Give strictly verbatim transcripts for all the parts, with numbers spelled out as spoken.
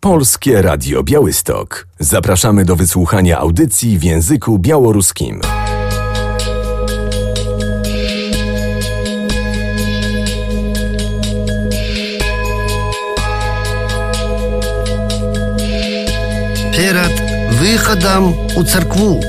Polskie Radio Białystok. Zapraszamy do wysłuchania audycji w języku białoruskim. Перед выходом у церкву.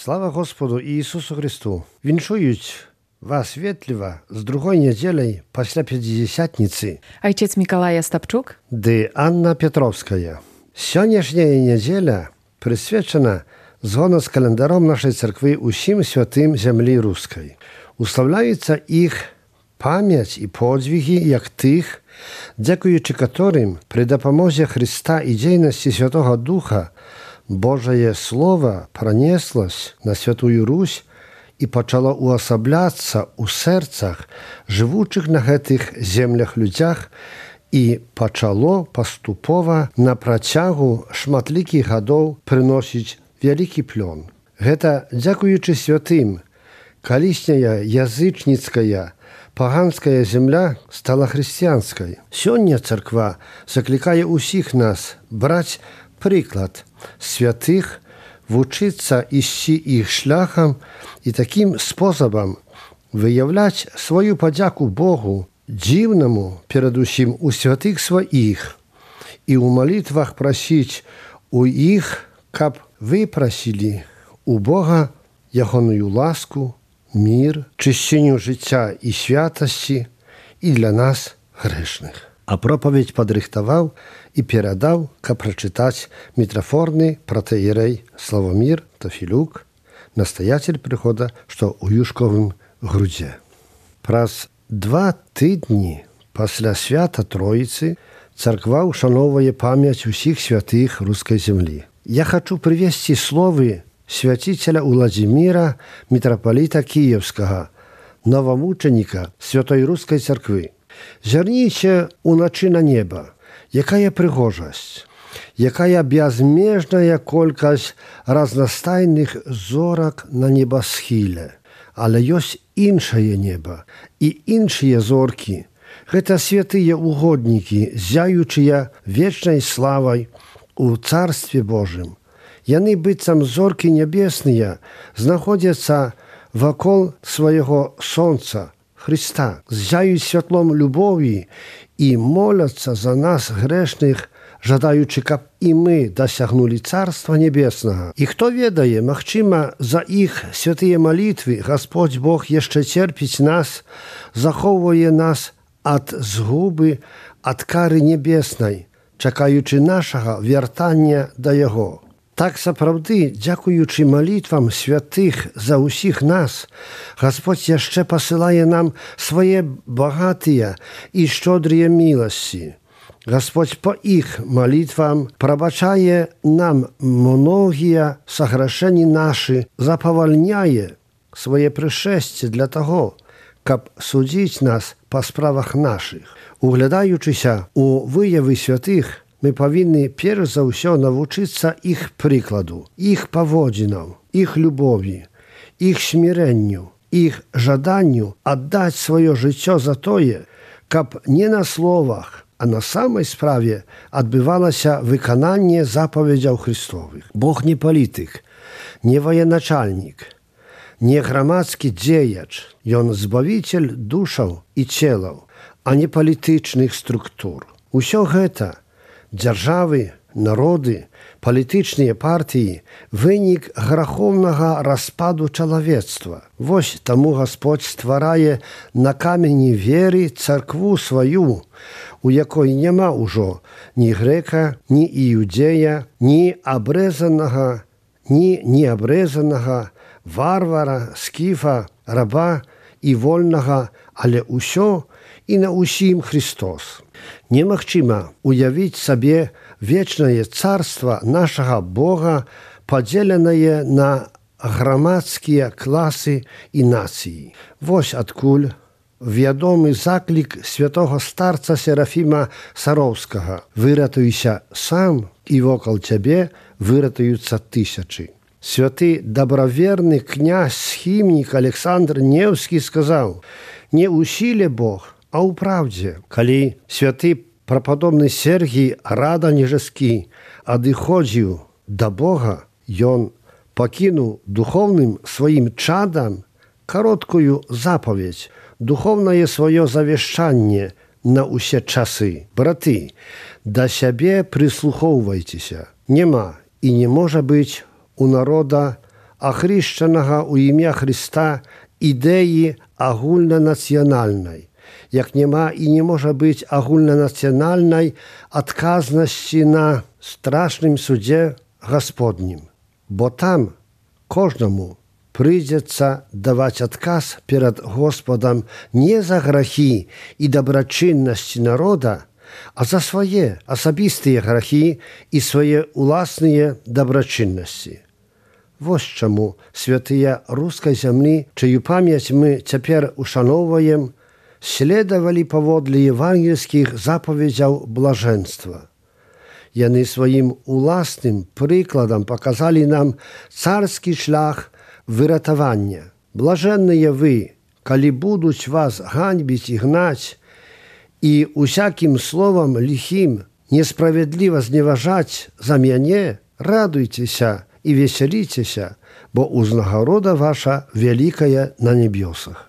Слава Господу Иисусу Христу! Віншують вас ветліва з другой неділей після П'ятдесятниці. Ojciec Mikołaj Остапчук. Ды Анна Петровская. Сённяшняя неділя присвячена згодно з календаром нашої церкви усім святим землі руської. Уславляється їх пам'ять і подвиги, як тих, дякуючи которым при допомозі Христа і дійності Святого Духа Божие Слово пронеслось на Святую Русь і почало уособляться у серцях живучих на гэтых землях людях і почало поступово на протягу шматлікіх гадоў приносить вялікі плён. Гэта дзякуючы святым, калісняя язычніцкая паганская земля стала хрысціянскай. Сёння церква закликае усіх нас браць приклад святых, вучиться ісці іх шляхам і таким способом виявляти свою подяку Богу, дивному, передусім у святих своїх, і у молитвах просить у їх, каб випросили у Бога ягоную ласку, мир, чищенню життя і святості і для нас грешних. А проповедь подрихтовал и передал, как прочитать митрофорный протоиерей Славомир Тофилюк, настоятель прихода, что у Юшковым грудзе. Праз два тыдні пасля свята Троицы церква ушановывае память усіх святых русской земли. Я хочу привести словы святителя Владимира, митрополита Киевского, новомученика Святой Русской Церкви. Зірніце уначы на неба, якая прыгожасць, якая бязмежная колькасць разнастайных зорак на небасхіле. Але ёсць іншае неба і іншыя зоркі. Гэта святыя угоднікі, зяючыя вечнай славай у Царстве Божым. Яны быццам зоркі нябесныя знаходзяцца вакол свайго сонца, Христа, зяють святлом любові і моляться за нас, грешних, жадаючи, каб і ми досягнули Царства Небесного. І хто ведає, магчима, за їх святые молитви Господь Бог jeszcze терпить нас, заховує нас от згуби, от кари небесної, чекаючи нашого вертання до Його. Так сапраўды, дзякуючы малітвам святых за ўсіх нас, Господь яшчэ пасылае нам свае багатыя і шчодрыя міласці. Господь по іх малітвам прабачае нам многія саграшэнні нашы, запавальняе свае прышэсце для таго, каб судзіць нас па справах нашых. Углядаючыся у выявы святых, мы павінны перш за ўсё навучыцца іх прыкладу, іх паводзінам, іх любові, іх смірэнню, іх жаданню аддаць сваё жыццё за тое, каб не на словах, а на самай справе адбывалася выкананне запаведзяў Христовых. Бог не палітык, не военачальнік, не грамадскі дзеяч. Ён збавіцель душаў і целаў, а не палітычных структур. Усё гэта дзяржавы, народы, палітычныя партыі вынік грахоўнага распаду чалавецтва. Вось таму Гасподзь стварае на камені веры царкву сваю, у якой няма ўжо ні грэка, ні іудзея, ні абрэзанага, ні неабрэзанага, варвара, скіфа, раба і вольнага, але ўсё і на ўсім Христос. Немагчыма уявіць сабе вечнае царства нашага Бога, падзеленае на грамадскія класы і нацыі. Вось адкуль вядомы заклік святого старца Серафіма Сароўскага: «Выратуйся сам, і вокал цябе выратуюцца тысячы». Святы дабраверны князь-схімнік Александр Неўскі сказаў: «Не ў сіле Бог, а ў праўдзе». Калі святы прападобны Сергій Раданежскі адыходзіў да Бога, ён пакінуў духоўным сваім чадам кароткую запаведь, духоўнае сваё завяшчанне на ўсе часы: «Браты, да сябе прыслухоўвайцеся. Нема і не можа быць у народа, ахрышчанага ў імя Хрыста, ідэі агульнанацыянальнай, як няма і не можа быць агульнанацыянальнай адказнасці на страшным судзе Гасподнім. Бо там кожнаму прыйдзецца даваць адказ перад Господам не за грахі і дабрачыннасці народа, а за свае асабістыя грахі і свае ўласныя дабрачыннасці. Вось чаму святыя рускай зямлі, чыю памяць мы цяпер ушаноўваем, следавалі паводле евангельскіх запаведзяў блажэнства. Яны сваім уласным прыкладам паказалі нам царскі шлях выратавання. Блажэнныя вы, калі будуць вас ганьбіць і гнаць, і усякім словам ліхім несправядліва зневажаць за мяне, радуйцеся і весяліцеся, бо ўзнагарода ваша вялікая на небёсах».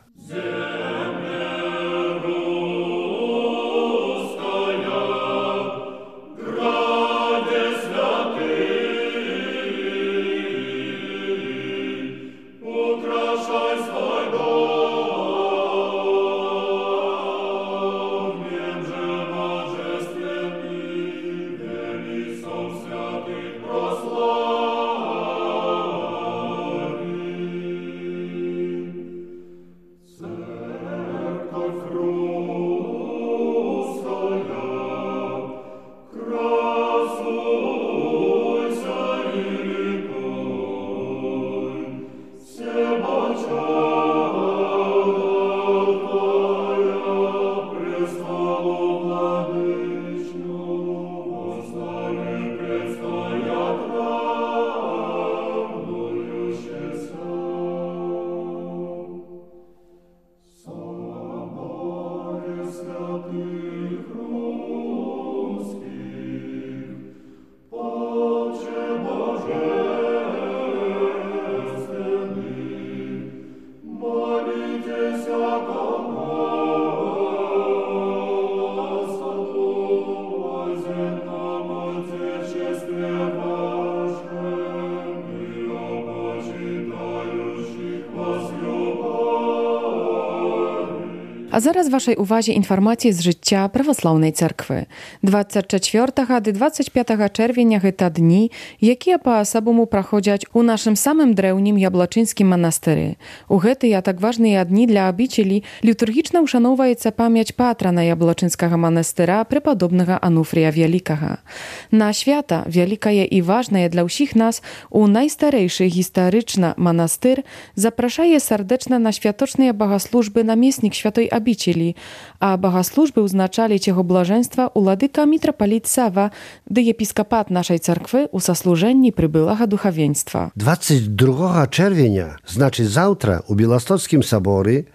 А зараз вашай увазе інфармація з жыцця праваслаўнай царквы. дваццаць чацвёртага ды дваццаць пятага чэрвеня гэта дні, якія па-асабому праходзяць у нашым самым дрэўнім яблачынскім манастыры. У гэтыя так важныя дні для абічелі літургічна ўшаноўваецца памяць патрана яблачынскага манастыра препадобнага Ануфрія Вялікага. На свята, вялікае і важнае для ўсіх нас, у найстарэйшы гістарычна манастыр запрашае сардэчна на святочныя багаслужбы намеснік святой абічелі, а багаслужбы ўзначаліць яго блажэнства уладыка мітрапаліт Сава ды епіскапат нашай царквы ў саслужэнні прыбылага духавенства. дваццаць другога чэрвеня, значыць заўтра, у Беластоцкім саборы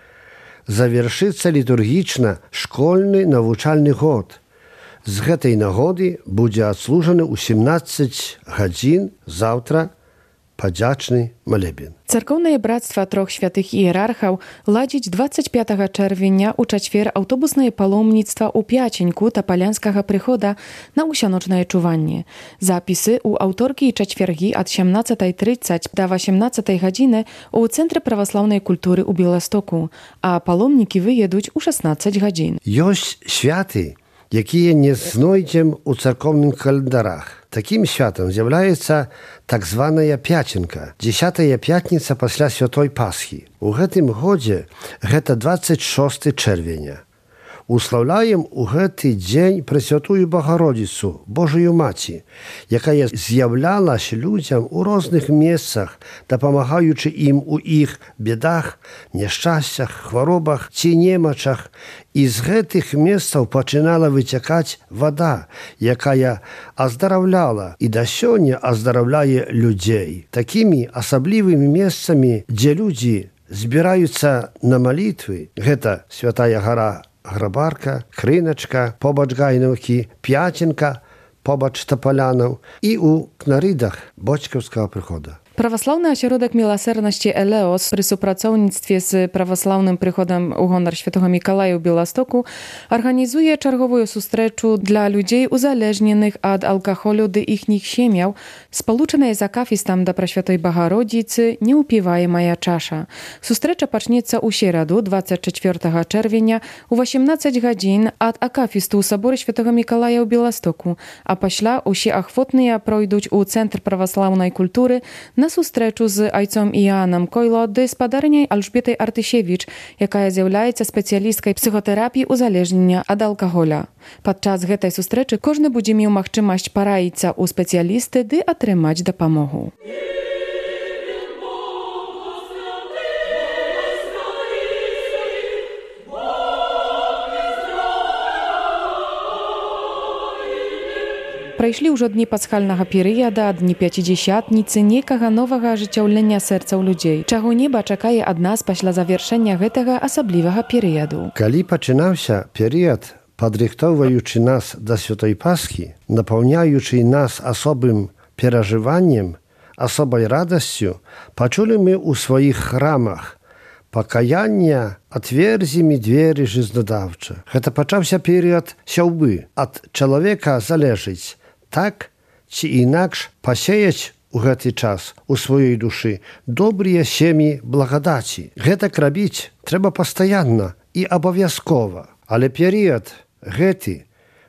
завершыцца літургічна школьны навучальны год. З гэтай нагоды будзе адслужаны ў сямнаццаць гадзін заўтра падзячны малебен. Церкоўнае брацтва трох святых іерархаў ладзіць дваццаць пятага чэрвеня ў чацвер аўтобуснае паломніцтва ў Пяченьку тапалянскага прыхода на ўсяночнае чуванне. Запісы ў аўторкі і чацвергі ад сямнаццатай трыццаць да васямнаццатай гадзіны ў Цэнтры праваслаўнай культуры ў Беластоку, а паломнікі выедуць у шаснаццаць гадзін. Ёсць святы, якія не знойдзем у царкоўным календарах. Такім святам з'яўляецца так званая Пяченка, дзесятая пятніца пасля святой Пасхі. У гэтым годзе гэта дваццаць шосты чэрвеня. Услаўляем у гэты дзень Пресвятую Багародзіцу, Божую Маці, якая з'яўлялася людзям у розных месцах, дапамагаючы ім у іх бедах, няшчасцях, хваробах ці немачах. І з гэтых месцаў пачынала выцякаць вада, якая аздараўляла і да сёння аздараўляе людзей. Такімі асаблівымі месцамі, дзе людзі збіраюцца на малітвы, гэта Святая гара Грабарка, Крыначка, побач Гайнаўкі, Пяченка, побач Тапалянаў і ў Кнарыдах Бочкаўскага прыхода. Праваслаўны асяродак міласэрнасці Элеос пры супрацоўніцтве з праваслаўным прыходам у гонар святога Мікалая ў Беластоку арганізуе чарговую сустрэчу для людзей узалежненых ад алкаголю ды іхніх сем'яў, спалучаная з акафістам да Прасвятой Багародзіцы «Неўпіваемая чаша». Сустрэча пачнецца ў сераду дваццаць чацвёртага чэрвеня у васямнаццаць гадзін ад акафісту ў саборы святога Мікалая ў Беластоку, а пасля ўсе ахвотныя пройдуць у Цэнтр праваслаўнай культуры на сустрэчу з айцом Іанам Койло ды спадарняй Альжбетай Артышевіч, якая з'яўляецца спецыялісткай псіхатэрапіі узалежнення ад алкаголя. Падчас гэтай сустрэчы кожны будзе меў магчымасць параіцца ў спецыялісты ды атрымаць дапамогу. Прайшлі ўжо дні пасхальнага перыяда, дні пяцідзясятніцы, некага новага ажыццяўлення сэрцаў людзей, чаго неба чакае ад нас пасля завяршэння гэтага асаблівага перыяду. Калі пачынаўся перыяд, падрыхтоўваючы нас да святой Пасхі, напаўняючы нас асобым перажываннем, асобай радасцю, пачулі мы ў сваіх храмах пакаяння «Отверзі ми двері жизнодавча». Гэта пачаўся перыяд сяўбы. Ад чалавека залежыць, так ці інакш пасеяць у гэты час у сваёй душы добрыя сем'і благадаці. Гэтак рабіць трэба пастаянна і абавязкова. Але перыяд гэты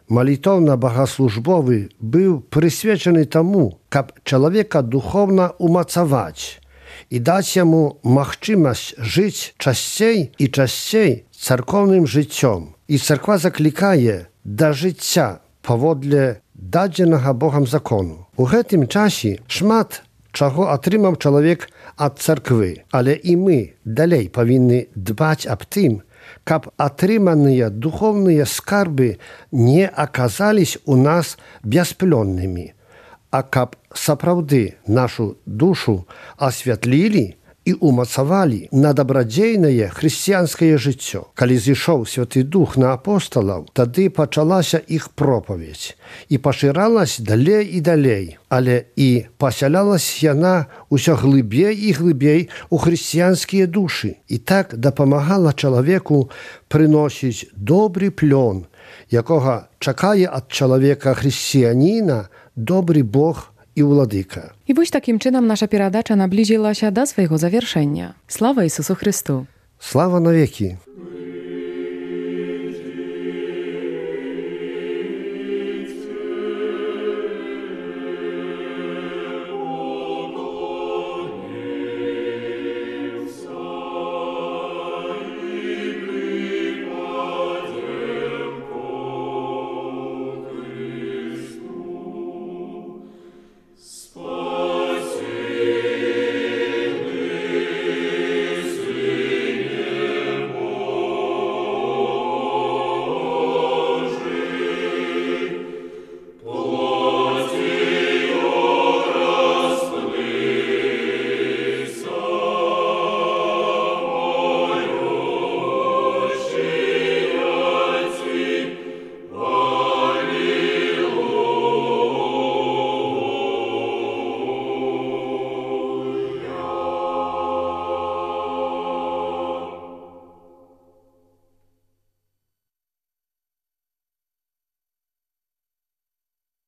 малітоўна-багаслужбовы быў прысвечаны таму, каб чалавека духоўна умацаваць і даць яму магчымасць жыць часцей і часцей царкоўным жыццём. І царква заклікае да жыцця паводле дадзенага Богам закону. У гэтым часе шмат чаго атрымаў чалавек ад царквы, але і мы далей павінны дбаць аб тым, каб атрыманыя духоўныя скарбы не аказались у нас бясплённымі, а каб сапраўды нашу душу асвятлілі і умацавалі на дабрадзейнае хрысціянскае жыццё. Калі зышоў Святы Дух на апосталаў, тады пачалася іх пропаведзь і пашыралась далей і далей, але і пасялялась яна ўсё глыбей і глыбей у хрысціянскія душы і так дапамагала чалавеку прыносіць добры плён, якога чакае ад чалавека хрысціяніна добры Бог і ўладыка. І вось такім чынам наша перадача наблізілася да свайго завяршэння. Слава Ісусу Хрысту! Слава навекі!